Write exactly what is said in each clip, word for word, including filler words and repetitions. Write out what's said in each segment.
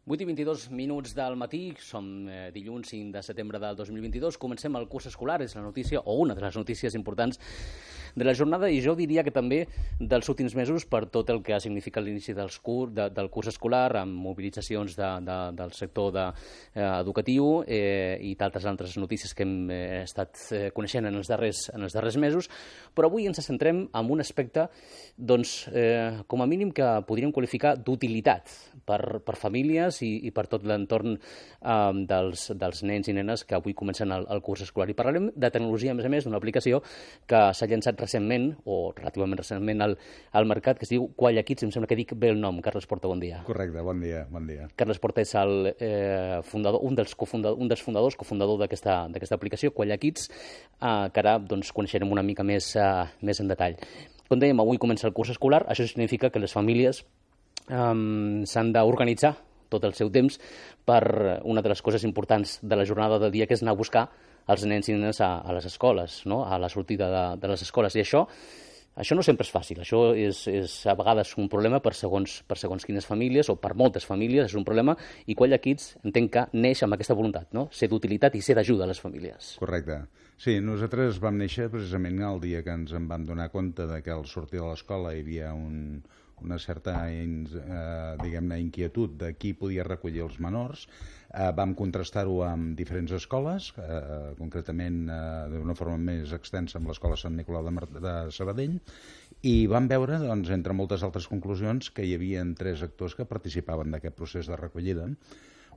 vuit i vint-i-dos minuts del matí, som eh, dilluns cinc de setembre del dos mil vint-i-dos, comencem el curs escolar, és la notícia, o una de les notícies importants de la jornada, i jo diria que també dels últims mesos per tot el que ha significat l'inici dels cur, de, del curs escolar, amb mobilitzacions de, de, del sector de, eh, educatiu eh, i d'altres altres notícies que hem eh, estat eh, coneixent en els, darrers, en els darrers mesos, però avui ens centrem en un aspecte, doncs, eh, com a mínim que podríem qualificar d'utilitat per, per famílies i, i per tot l'entorn eh, dels, dels nens i nenes que avui comencen el, el curs escolar. I parlarem de tecnologia, a més a més, d'una aplicació que s'ha llançat recentment, o relativament recentment, al, al mercat, que es diu Qualla Kids, em sembla que dic bé el nom. Carles Porta, bon dia. Correcte, bon dia. Bon dia. Carles Porta és el eh, fundador, un dels, cofundador, un dels fundadors, cofundador d'aquesta aplicació, Qualla Kids, eh, que ara doncs, coneixerem una mica més, eh, més en detall. Com dèiem, avui comença el curs escolar, això significa que les famílies Um, s'han d'organitzar tot el seu temps per una de les coses importants de la jornada del dia, que és anar a buscar els nens i nenes a, a les escoles, no? A la sortida de, de les escoles. I això, això no sempre és fàcil. Això és, és a vegades un problema per segons, per segons quines famílies, o per moltes famílies és un problema, i Qualla Kids entenc que neix amb aquesta voluntat, no? Ser d'utilitat i ser d'ajuda a les famílies. Correcte. Sí, nosaltres vam néixer precisament el dia que ens en vam donar compte de que al sortir de l'escola hi havia un... una certa eh, diguem-ne inquietud de qui podia recollir els menors. Eh, vam contrastar-ho amb diferents escoles, eh, concretament eh, d'una forma més extensa amb l'Escola Sant Nicolau de, Mar de Sabadell, i vam veure, doncs, entre moltes altres conclusions, que hi havia tres actors que participaven d'aquest procés de recollida.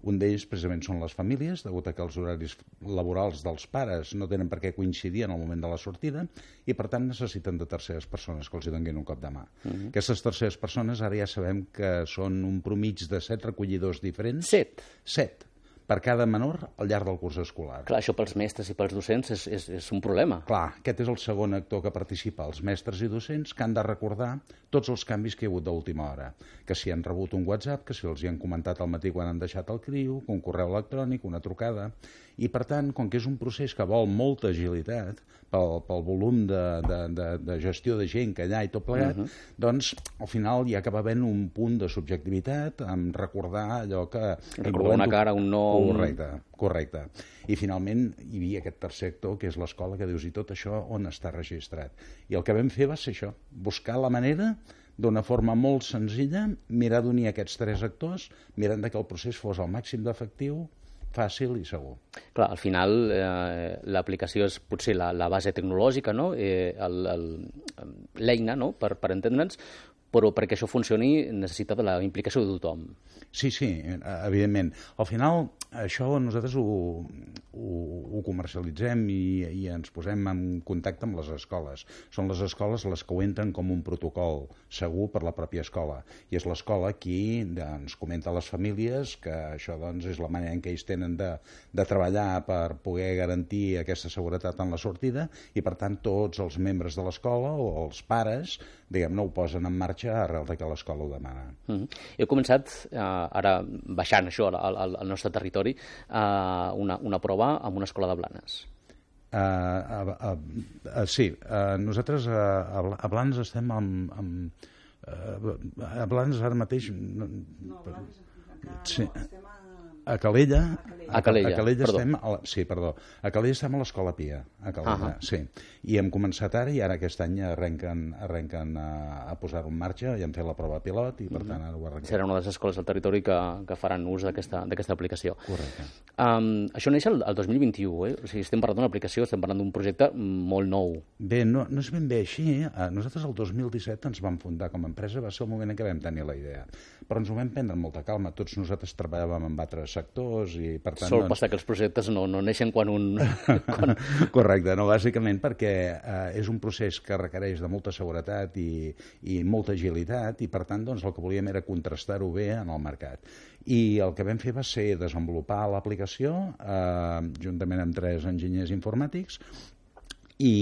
Un d'ells precisament són les famílies, degut a que els horaris laborals dels pares no tenen per què coincidir en el moment de la sortida i, per tant, necessiten de terceres persones que els hi donin un cop de mà. Uh-huh. Aquestes terceres persones ara ja sabem que són un promig de set recollidors diferents. Set? Set. Per cada menor al llarg del curs escolar. Clar, això pels mestres i pels docents és, és, és un problema. Clar, aquest és el segon actor que participa, els mestres i docents, que han de recordar tots els canvis que hi ha hagut d'última hora. Que si han rebut un WhatsApp, que si els hi han comentat al matí quan han deixat el criu, un correu electrònic, una trucada. I, per tant, com que és un procés que vol molta agilitat, pel, pel volum de, de, de, de gestió de gent que allà i tot plegat, uh-huh. doncs, al final hi acaba havent un punt de subjectivitat, amb recordar allò que... Recordar una cara, un nom... Correcte, correcte. I finalment hi havia aquest tercer actor, que és l'escola, que dius, i tot això on està registrat? I el que vam fer va ser això, buscar la manera, d'una forma molt senzilla, mirar d'unir aquests tres actors, mirant que el procés fos al màxim d'efectiu, fàcil i segur. Clar, al final eh, l'aplicació és potser la, la base tecnològica, no? eh, l'eina, no? per, per entendre'ns, però perquè això funcioni necessita de la implicació de tothom. Sí, sí, evidentment. Al final, això nosaltres ho, ho, ho comercialitzem i, i ens posem en contacte amb les escoles. Són les escoles les que ho entren com un protocol segur per la pròpia escola. I és l'escola qui ens comenta a les famílies que això doncs, és la manera en què ells tenen de, de treballar per poder garantir aquesta seguretat en la sortida i, per tant, tots els membres de l'escola o els pares, diguem-ne, ho posen en marxa arrel de que l'escola ho demana. Mm-hmm. He començat, eh, ara baixant això al, al, al nostre territori, eh, una, una prova amb una escola de Blanes. Uh, uh, uh, uh, sí, uh, nosaltres uh, a Blanes estem amb... amb uh, a Blanes ara mateix... No, no Blanes encara sí. no, estem a... A Calella, a Calella, a Calella perdó. estem a la, sí, perdó. A Calella estem a l'Escola Pia, a Calella, uh-huh. sí. I hem començat ara i ara aquest any arrenquen, arrenquen a, a posar-ho en marxa i hem fet la prova pilot i per uh-huh. tant ara ho arrenquem. Serà una de les escoles del territori que, que faran ús d'aquesta aplicació. Correcte. Um, això neix el, el dos mil vint-i-u, eh? O sigui, estem parlant d'una aplicació, estem parlant d'un projecte molt nou. Bé, no, no és ben bé així. Nosaltres el dos mil disset ens vam fundar com a empresa, va ser el moment en què vam tenir la idea. Però ens ho vam prendre amb molta calma. Tots nosaltres treballàvem amb altres sectors i per tant... Sol doncs... passar que els projectes no, no neixen quan un... quan... Correcte, no, bàsicament perquè eh, és un procés que requereix de molta seguretat i, i molta agilitat i per tant doncs, el que volíem era contrastar-ho bé en el mercat. I el que vam fer va ser desenvolupar l'aplicació eh, juntament amb tres enginyers informàtics i,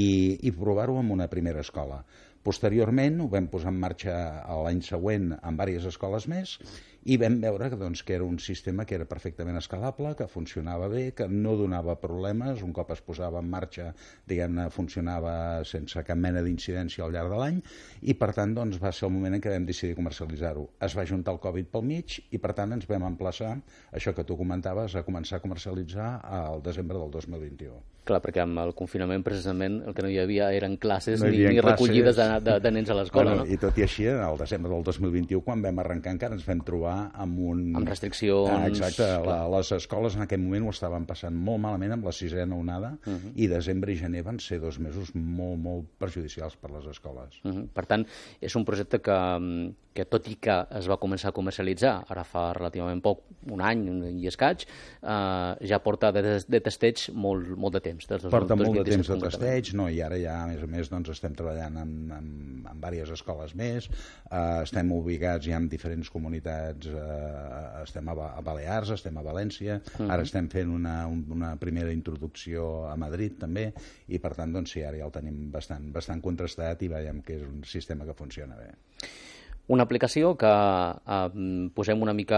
i provar-ho en una primera escola. Posteriorment ho vam posar en marxa l'any següent en diverses escoles més i vam veure que, doncs, que era un sistema que era perfectament escalable, que funcionava bé, que no donava problemes, un cop es posava en marxa, diguem-ne, funcionava sense cap mena d'incidència al llarg de l'any, i per tant doncs, va ser el moment en què vam decidir comercialitzar-ho. Es va juntar el Covid pel mig i per tant ens vam emplaçar, això que tu comentaves, a començar a comercialitzar al desembre del dos mil vint-i-u. Clar, perquè amb el confinament precisament el que no hi havia eren classes no ni, ni classes. recollides de, de, de nens a l'escola. Bueno, no? I tot i així, al desembre del dos mil vint-i-u, quan vam arrencar encara ens vam trobar amb un... Amb restriccions... Ah, exacte, la, les escoles en aquell moment ho estaven passant molt malament amb la sisena onada uh -huh. i desembre i gener van ser dos mesos molt, molt perjudicials per les escoles. Uh -huh. Per tant, és un projecte que, que tot i que es va començar a comercialitzar ara fa relativament poc, un any i escaig, eh, ja porta de, de testeig molt, molt de temps. Des Porta molt de temps de testeig, no, i ara ja, a més a més, doncs, estem treballant amb, amb, amb diverses escoles més, eh, estem ubicats ja en diferents comunitats, eh, estem a, a Balears, estem a València, uh-huh. ara estem fent una, una primera introducció a Madrid també, i per tant, doncs sí, ara ja el tenim bastant, bastant contrastat i veiem que és un sistema que funciona bé. Una aplicació que eh, posem una mica,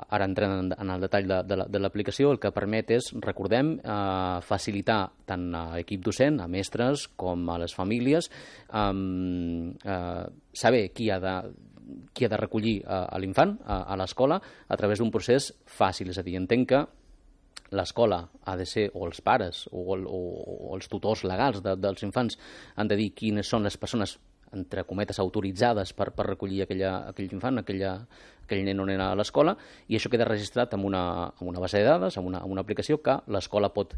ara entrem en, en el detall de, de l'aplicació, el que permet és, recordem, eh, facilitar tant a l'equip docent, a mestres, com a les famílies, eh, eh, saber qui ha de qui ha de recollir a, a l'infant a, a l'escola a través d'un procés fàcil. És a dir, entenc que l'escola ha de ser, o els pares, o, o, o els tutors legals de, dels infants han de dir quines són les persones entre cometes, autoritzades per, per recollir aquella, aquell infant, aquella, aquell nen o nena a l'escola, i això queda registrat en una, en una base de dades, en una, en una aplicació que l'escola pot,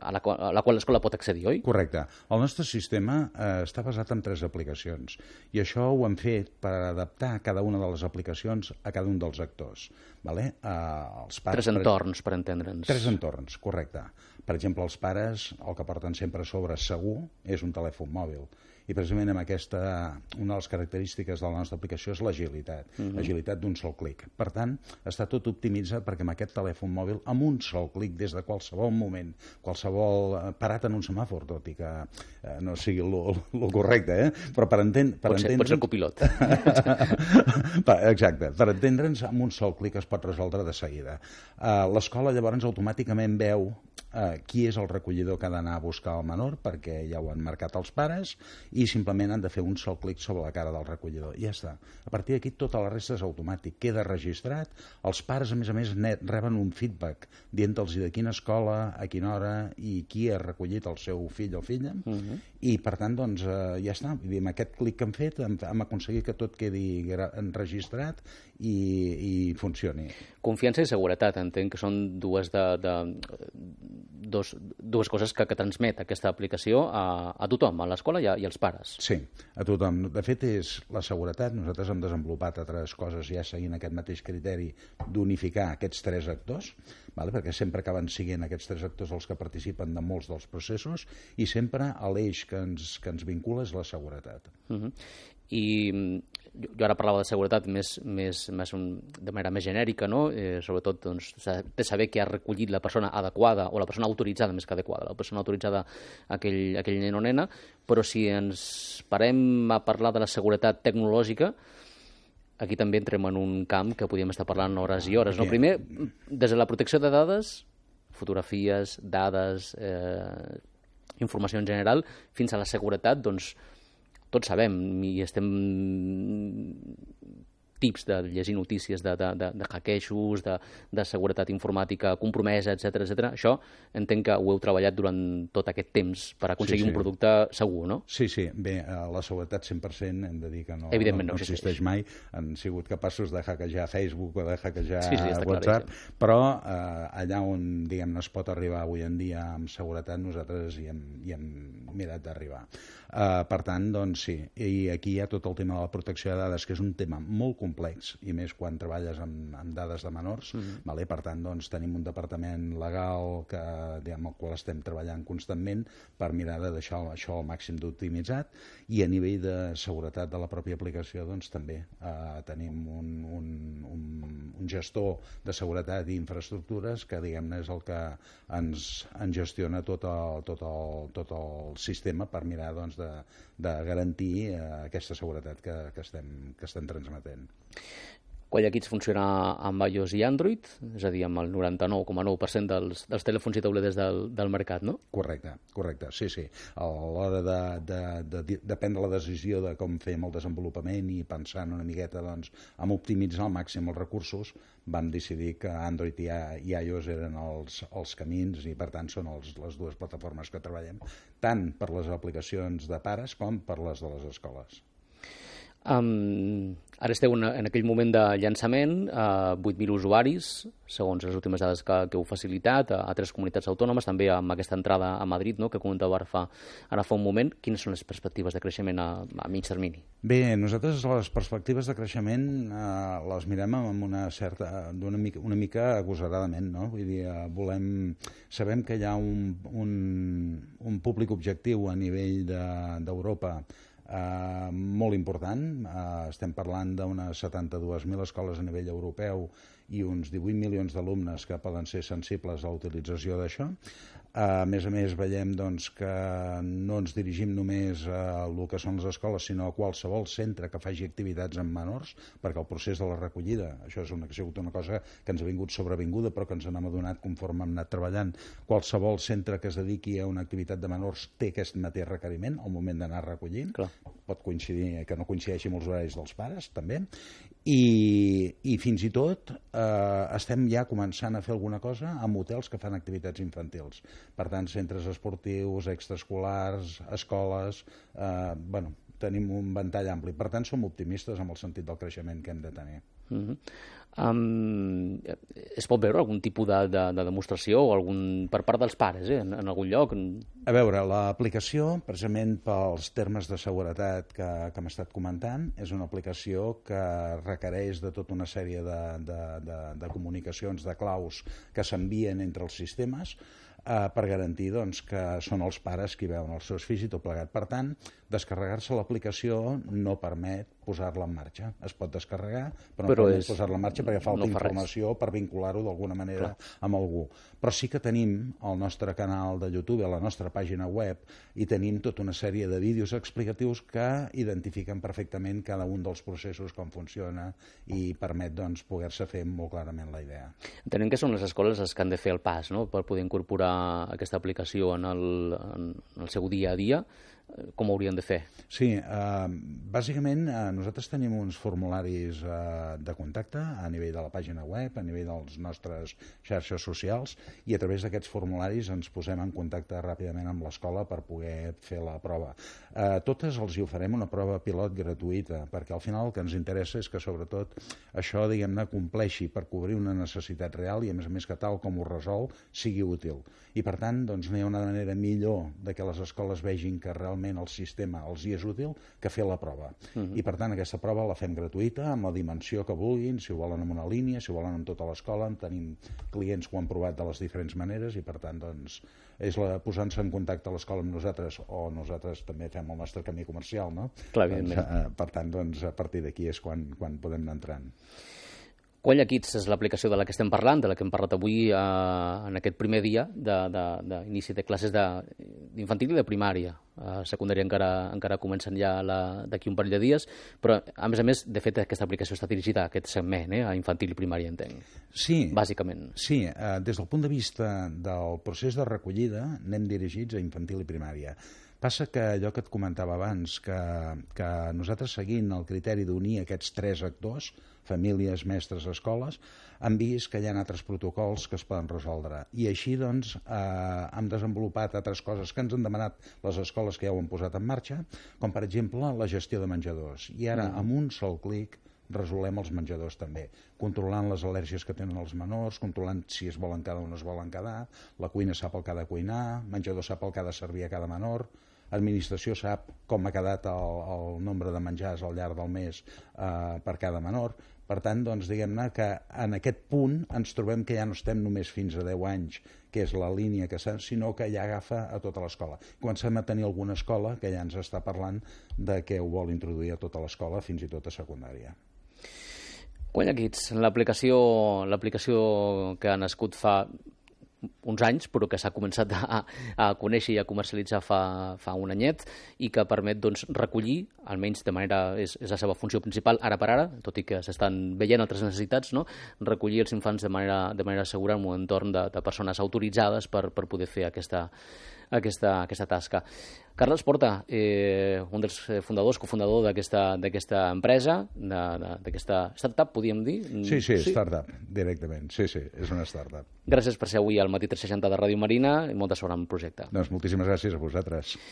a la, a la qual l'escola pot accedir, oi? Correcte. El nostre sistema eh, està basat en tres aplicacions, i això ho hem fet per adaptar cada una de les aplicacions a cada un dels actors. Vale? Eh, els pares, tres entorns, per entendre'ns. Tres entorns, correcte. Per exemple, els pares, el que porten sempre a sobre segur és un telèfon mòbil. I precisament amb aquesta, una de les característiques de la nostra aplicació és l'agilitat, uh-huh. l'agilitat d'un sol clic. Per tant, està tot optimitzat perquè amb aquest telèfon mòbil, amb un sol clic, des de qualsevol moment, qualsevol parat en un semàfor, tot i que eh, no sigui el correcte, eh? però per, enten, per pot ser, entendre'ns... Pot ser copilot. Exacte, per entendre'ns, amb un sol clic es pot resoldre de seguida. Uh, l'escola llavors automàticament veu uh, qui és el recollidor que ha d'anar a buscar el menor, perquè ja ho han marcat els pares, i simplement han de fer un sol clic sobre la cara del recollidor. I ja està. A partir d'aquí tota la resta és automàtic. Queda registrat. Els pares, a més a més, net, reben un feedback dient-los de quina escola, a quina hora i qui ha recollit el seu fill o filla. Uh-huh. I, per tant, doncs, eh, ja està. Amb aquest clic que hem fet hem, hem aconseguit que tot quedi enregistrat i, i funcioni. Confiança i seguretat. Entenc que són dues, de, de, dos, dues coses que, que transmet aquesta aplicació a, a tothom, a l'escola i, i als pares. Sí, a tothom. De fet, és la seguretat. Nosaltres hem desenvolupat altres coses ja seguint aquest mateix criteri d'unificar aquests tres actors, vale? Perquè sempre acaben siguent aquests tres actors els que participen de molts dels processos i sempre l'eix que ens, que ens vincula és la seguretat. Uh-huh. I jo ara parlava de seguretat més, més, més un, de manera més genèrica, no? Eh, sobretot doncs, de saber qui ha recollit la persona adequada o la persona autoritzada més que adequada, la persona autoritzada aquell, aquell nen o nena, però si ens parem a parlar de la seguretat tecnològica, aquí també entrem en un camp que podríem estar parlant hores i hores. No? Primer, des de la protecció de dades, fotografies, dades, eh, informació en general, fins a la seguretat, doncs, tots sabem i estem tips de llegir notícies de, de, de, de hackejos, de, de seguretat informàtica compromesa, etcètera, etcètera. Això entenc que ho heu treballat durant tot aquest temps per aconseguir sí, sí. un producte segur, no? Sí, sí. Bé, la seguretat cent per cent hem de dir que no, Evidentment no, no existeix mai. Han sigut capaços de hackejar Facebook o de hackejar sí, sí, WhatsApp, clar, sí. però eh, allà on diguem, es pot arribar avui en dia amb seguretat, nosaltres hi hem, hi hem mirat d'arribar. Uh, per tant, doncs sí, i aquí hi ha tot el tema de la protecció de dades, que és un tema molt complex, i més quan treballes amb, amb dades de menors, mm-hmm. vale? Per tant, doncs, tenim un departament legal que, diguem, el qual estem treballant constantment per mirar de deixar això al màxim d'optimitzat, i a nivell de seguretat de la pròpia aplicació, doncs també uh, tenim un, un, un, un gestor de seguretat i infraestructures que, diguem-ne, és el que ens, ens gestiona tot el, tot, el, tot el sistema per mirar, doncs, de De, de garantir eh, aquesta seguretat que, que, estem, que estem transmetent. Qualla Kids funciona amb iOS i Android, és a dir, amb el noranta-nou coma nou per cent dels, dels telèfons i tauletes del, del mercat, no? Correcte, correcte, sí, sí. A l'hora de, de, de, de prendre la decisió de com fem el desenvolupament i pensant una miqueta doncs, en optimitzar al màxim els recursos, vam decidir que Android i, i iOS eren els, els camins i, per tant, són els, les dues plataformes que treballem, tant per les aplicacions de pares com per les de les escoles. Um, ara esteu en, en aquell moment de llançament, uh, vuit mil usuaris, segons les últimes dades que, que heu facilitat, a, a tres comunitats autònomes, també amb aquesta entrada a Madrid, no?, que comentava ara fa, ara fa un moment. Quines són les perspectives de creixement a, a mig termini? Bé, nosaltres les perspectives de creixement eh, les mirem amb una certa, d'una mica, una mica agosaradament, no? Vull dir, eh, volem, sabem que hi ha un, un, un públic objectiu a nivell d'Europa de, Uh, molt important. Uh, estem parlant d'unes setanta-dues mil escoles a nivell europeu i uns divuit milions d'alumnes que poden ser sensibles a la utilització d'això. Uh, a més a més, veiem doncs, que no ens dirigim només a el que són les escoles, sinó a qualsevol centre que faci activitats amb menors, perquè el procés de la recollida, això és una, ha sigut una cosa que ens ha vingut sobrevinguda, però que ens n'hem adonat conforme hem anat treballant. Qualsevol centre que es dediqui a una activitat de menors té aquest mateix requeriment al moment d'anar recollint. Clar. Pot coincidir que no coincideixi amb els horaris dels pares, també. I, i fins i tot eh, estem ja començant a fer alguna cosa amb hotels que fan activitats infantils. Per tant, centres esportius, extraescolars, escoles, eh, bueno, tenim un ventall ampli. Per tant, som optimistes amb el sentit del creixement que hem de tenir. Mm-hmm. um, es pot veure algun tipus de, de, de demostració o algun, per part dels pares, eh, en, en algun lloc? A veure, l'aplicació, precisament pels termes de seguretat que, que hem estat comentant, és una aplicació que requereix de tota una sèrie de, de, de, de comunicacions, de claus que s'envien entre els sistemes eh, per garantir doncs, que són els pares qui veuen els seus fills i tot plegat. Per tant, descarregar-se l'aplicació no permet posar-la en marxa. Es pot descarregar, però no però permet és... posar-la en marxa perquè falta no fa informació res. Per vincular-ho d'alguna manera Clar. Amb algú. Però sí que tenim el nostre canal de YouTube, a la nostra pàgina web, i tenim tota una sèrie de vídeos explicatius que identifiquen perfectament cada un dels processos, com funciona, i permet doncs, poder-se fer molt clarament la idea. Entenem que són les escoles les que han de fer el pas, no?, per poder incorporar aquesta aplicació en el, en el seu dia a dia. Com ho haurien de fer? Sí, eh, bàsicament eh, nosaltres tenim uns formularis eh, de contacte a nivell de la pàgina web, a nivell dels nostres xarxes socials, i a través d'aquests formularis ens posem en contacte ràpidament amb l'escola per poder fer la prova. Eh, totes els hi oferem una prova pilot gratuïta, perquè al final el que ens interessa és que sobretot això, diguem-ne, compleixi per cobrir una necessitat real i a més a més que tal com ho resol sigui útil. I per tant, doncs, no hi ha una manera millor de que les escoles vegin que realment el sistema els hi és útil que fer la prova. Uh-huh. I per tant aquesta prova la fem gratuïta, amb la dimensió que vulguin, si ho volen en una línia, si ho volen en tota l'escola. Tenim clients que ho han provat de les diferents maneres i per tant doncs, és la posant-se en contacte a l'escola amb nosaltres, o nosaltres també fem el nostre camí comercial, no? Clar, doncs, eh, per tant, doncs, a partir d'aquí és quan, quan podem anar entrant. Qualla Kids és l'aplicació de la que estem parlant, de la que hem parlat avui eh, en aquest primer dia d'inici de, de, de classes d'infantil i de primària. A secundària encara, encara comencen ja d'aquí un parell de dies, però a més a més, de fet, aquesta aplicació està dirigida a aquest segment, eh, a infantil i primària, entenc. Sí. Bàsicament. Sí, eh, des del punt de vista del procés de recollida anem dirigits a infantil i primària. Passa que allò que et comentava abans, que, que nosaltres seguint el criteri d'unir aquests tres actors, famílies, mestres, escoles, hem vist que hi ha altres protocols que es poden resoldre. I així, doncs, eh, hem desenvolupat altres coses que ens han demanat les escoles que ja ho han posat en marxa, com per exemple la gestió de menjadors. I ara, mm. amb un sol clic, resolem els menjadors també, controlant les al·lèrgies que tenen els menors, controlant si es volen quedar o no es volen quedar, la cuina sap el que ha de cuinar, el menjador sap el que ha de servir a cada menor, l'administració sap com ha quedat el, el nombre de menjars al llarg del mes eh, per cada menor. Per tant, doncs, diguem-ne que en aquest punt ens trobem que ja no estem només fins a deu anys, que és la línia que s'ha, sinó que ja agafa a tota l'escola. Comencem a tenir alguna escola que ja ens està parlant de que ho vol introduir a tota l'escola, fins i tot a secundària. Qualla Kids, l'aplicació l'aplicació que ha nascut fa uns anys, però que s'ha començat a, a conèixer i a comercialitzar fa, fa un anyet i que permet doncs, recollir, almenys de manera, és, és la seva funció principal ara per ara, tot i que s'estan veient altres necessitats, no? Recollir els infants de manera, de manera segura en un entorn de, de persones autoritzades per, per poder fer aquesta, aquesta, aquesta tasca. Carles Porta, eh, un dels fundadors, cofundador d'aquesta empresa, d'aquesta startup, podríem dir? Sí, sí, sí, startup, directament. Sí, sí, és una startup. Gràcies per ser avui al Matí tres seixanta de Ràdio Marina i molta sort amb el projecte. Doncs moltíssimes gràcies a vosaltres.